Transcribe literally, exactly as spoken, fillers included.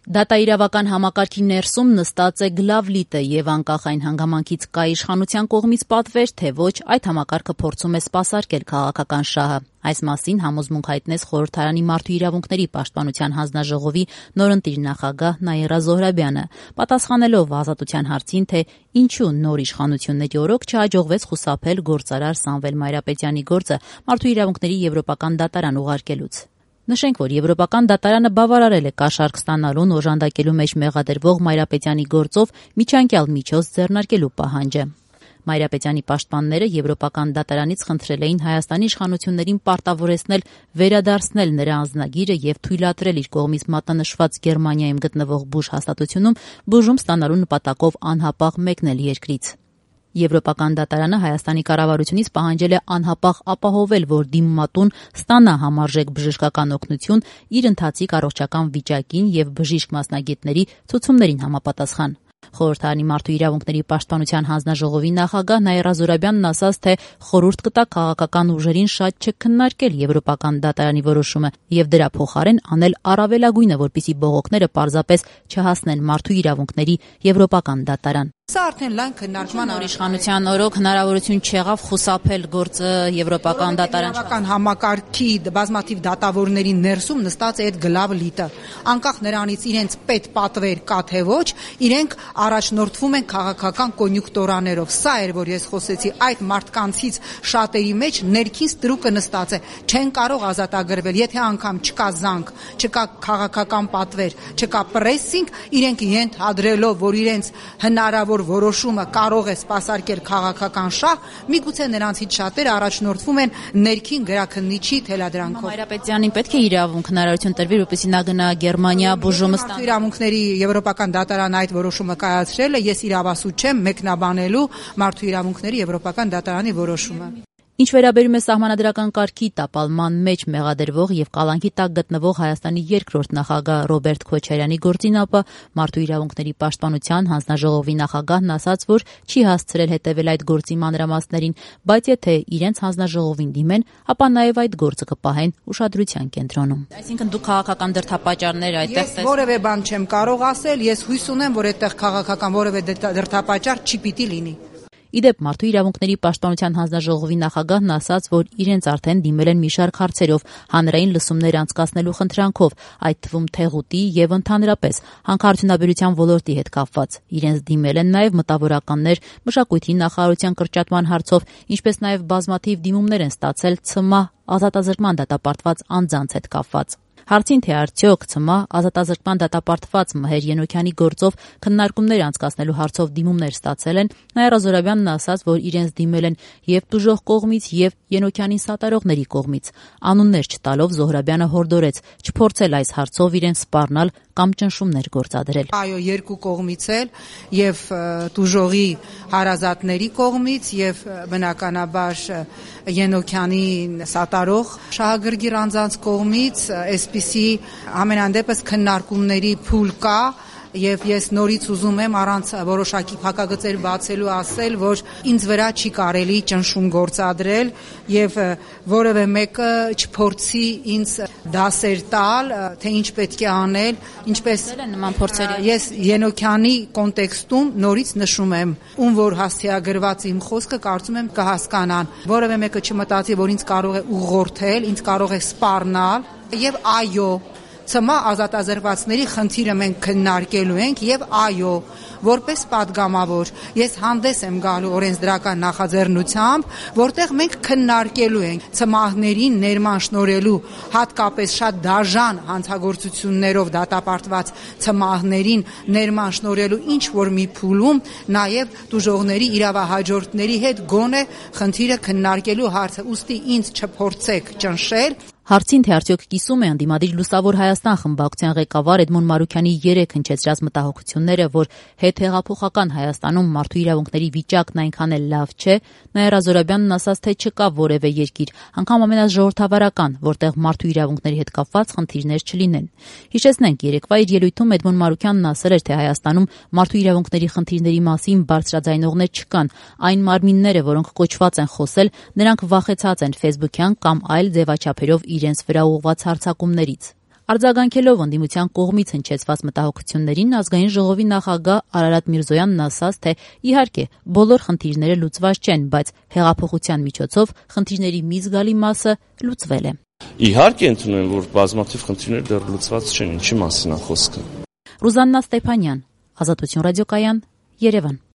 Դատաիրավական համակարգի ներսում նստած է գլավլիտը եւ անկախ այն հանգամանքից կա իշխանության կողմից պատվեր, թե ոչ, այդ համակարգը փորձում է սպասարկել քաղաքական շահը։ Այս մասին համոզմունք հայտնեց Խորհրդարանի Մարդու իրավունքների պաշտպանության հանձնաժողովի նորընտիր նախագահ Նաիրա Զոհրաբյանը, պատասխանելով Ազատության հարցին, թե ինչու նոր իշխանությունների օրոք չհաջողվեց խուսափել գործարար Սամվել Մայրապետյանի գործը Մարդու իրավունքների եվրոպական դատարան ուղարկելուց։ Նշենք, որ Եվրոպական դատարանը բավարարել է կաշառք ստանալուն օժանդակելու մեջ մեղադրվող Մայրապետյանի գործով միջանկյալ միջոց ձեռնարկելու պահանջը։ Մայրապետյանի պաշտպանները Եվրոպական դատարանից խնդրել էին Հայաստանի իշխանություններին պարտավորեցնել վերադարձնել նրա անձնագիրը եւ թույլատրել իր կողմից մատնանշված Գերմանիայում գտնվող բուժ հաստատությունում բուժում ստանալու նպատակով անհապաղ մեկնել երկրից։ Եվրոպական դատարանը Հայաստանի կառավարությունից պահանջել է անհապաղ ապահովել, որ դիմումատուն ստանա համարժեք բժշկական օգնություն իր ընթացիկ առողջական վիճակին եւ բժիշկ մասնագետների ցուցումներին համապատասխան։ Խորհրդարանի Մարդու իրավունքների պաշտպանության հանձնաժողովի նախագահ Նաիրա Զոհրաբյանն ասաց, թե խորհուրդ կտա քաղաքական ուժերին շատ չքննարկել Եվրոպական դատարանի որոշումը եւ դրա փոխարեն անել առավելագույնը, որպեսզի բողոքները պարզապես չհասնեն Մարդու իրավունքների Եվրոպական դատարան։ Սա արդեն լայն քննարկման նոր իշխանության օրոք հնարավորություն չեղավ խուսափել գործը Եվրոպական դատարան։ Եվրոպական համակարգի բազմաթիվ դատավորների ներսում նստած է այդ գլավլիտը։ Անկախ նրանից իրենց պետ պատվեր կա թե ոչ, իրենք առաջնորդվում են քաղաքական կոնյուկտուրաներով։ Սա էր, որ ես խոսեցի, այդ մարդկանցից շատերի մեջ ներքին ստրուկը նստած է, չեն կարող ազատագրվել, եթե անգամ չկա զանգ, չկա քաղաքական պատվեր, չկա պրեսինգ, իրենք ենթադրելով, որ իրենց հնարավոր որոշումը կարող է սպասարկել քաղաքական շահ, միգուցե նրանցից շատերը առաջնորդվում են ներքին գրաքննիչի թելադրանքով։ Մայրապետյանին պետք է իրավունք հնարավորություն տրվի, որպեսզի նա գնա Գերմանիա բուժումը ստանա։ Իրավունքների Եվրոպական դատարանը այդ որոշումը կայացրել է, ես իրավասու չեմ մեկնաբանելու Մարդու իրավունքների Եվրոպական դատարանի որոշումը։ Ինչ վերաբերում է սահմանադրական կարգի տապալման մեջ մեղադրվող եւ կալանքի տակ գտնվող Հայաստանի երկրորդ նախագահ Ռոբերտ Քոչարյանի գործին, ապա Մարդու իրավունքների պաշտպանության հանձնաժողովի նախագահն ասաց, որ չի հասցրել հետևել այդ գործի մանրամասներին, բայց եթե իրենց հանձնաժողովին դիմեն, ապա նաեւ այդ գործը կպահեն ուշադրության կենտրոնում։ Այսինքն դուք քաղաքական դրդապատճառներ այդտեղ տեսնեք։ Ես որևէ բան չեմ կարող ասել, ես հույս ունեմ, որ այդտեղ քաղաքական որևէ դրդապատճառ չի պիտի լինի։ Իդեպ Մարդու իրավունքների պաշտպանության հանձնաժողովի նախագահն ասաց, որ իրենց արդեն դիմել են մի շարք հարցերով, հանրային լսումներ անցկացնելու խնդրանքով, այդ թվում թեղուտի եւ ընդհանրապես հանքարդյունաբերության ոլորտի հետ կապված։ Իրենց դիմել են նաեւ մտավորականներ մշակույթի նախարարության կրճատման հարցով, ինչպես նաեւ բազմաթիվ դիմումներ են ստացել ՑՄԱ ազատազրկման դատապարտված անձանց հետ կապված։ Հարցին, թե արդյոք ՑՄԱ ազատազրկման դատապարտված Մհեր Ենոքյանի գործով քննարկումներ անցկացնելու հարցով դիմումներ ստացել են, Նաիրա Զոհրաբյանն ասաց, որ իրենց դիմել են եւ տուժող կողմից եւ Ենոքյանին սատարողների կողմից։ Անուններ չտալով Զոհրաբյանը հորդորեց չփորձել այս հարցով իրեն սպառնալ կամ ճնշումներ գործադրել։ Այո, երկու կողմից էլ եւ տուժողի հարազատների կողմից եւ բնականաբար Ենոքյանի սատարող շահագրգիռ անձանց կողմից այսպիսի ամենանդեպս քննարկումների փուլ կա եւ ես նորից ուզում եմ առանց որոշակի փակագծեր բացելու ասել, որ ինձ վրա չի կարելի ճնշում գործադրել եւ որևէ մեկը չփորձի ինձ դասեր տալ, թե ինչ պետք է անել, ինչպես նման փորձերի։ Ես Ենոքյանի կոնտեքստում նորից նշում եմ, ում որ հաստիագրված իմ խոսքը կարծում եմ կհասկանան։ Որևէ մեկը չմտածի, որ ինձ կարող է ուղղորդել, ինձ կարող է սպառնալ եւ այո, ՑՄԱ ազատազրկվածների խնդիրը մենք քննարկելու ենք եւ այո, որպես падգամավոր ես հանդես եմ գալու օրենսդրական նախաձեռնությամբ, որտեղ մենք քննարկելու ենք ՑՄԱ-ներին ներման շնորհելու, հատկապես շատ դաժան հանցագործություններով դատապարտված ՑՄԱ-ներին ներման շնորհելու ինչ որ մի փուլում նաեւ տուժողների իրավահաջորդների հետ գոնե խնդիրը քննարկելու հարցը, ուստի ինձ չփորձեք ճնշել։ Հարցին, թե արդյոք կիսում է ընդդիմադիր Լուսավոր Հայաստան խմբակցության ղեկավար Էդմոն Մարուքյանի երեք հնչեցրած մտահոգությունները, որ հետհեղափոխական Հայաստանում մարդու իրավունքների վիճակն այնքան էլ լավ չէ, Նաիրա Զոհրաբյանն ասաց, թե չկա որևէ երկիր, անգամ ամենաժողովրդավարական, որտեղ մարդու իրավունքների հետ կապված խնդիրներ չլինեն։ Հիշեցնենք, երեկվա իր ելույթում Էդմոն Մարուքյանն ասել էր, թե Հայաստանում մարդու իրավունքների խնդիրների մասին բարձրաձայնողներ չկան, այն մարմինները, որոնք կոչված են խոսել, նրանք վախեցած են ֆեյսբուքյան կամ այլ ձևաչափերով իրենց վրա ուղղված հարձակումներից։ Արձագանքելով ընդդիմության կողմից հնչեցված մտահոգություններին, ազգային ժողովի նախագահ Արարատ Միրզոյանն ասաց, թե իհարկե բոլոր խնդիրները լուծված չեն, բայց հեղափոխության միջոցով խնդիրների մի զգալի մասը լուծվել է։ Իհարկե ընդունում եմ, որ բազմաթիվ խնդիրներ դեռ լուծված չեն, ինչի մասին է խոսքը։ Ռուզաննա Ստեփանյան, Ազատություն ռադիոկայան, Երևան։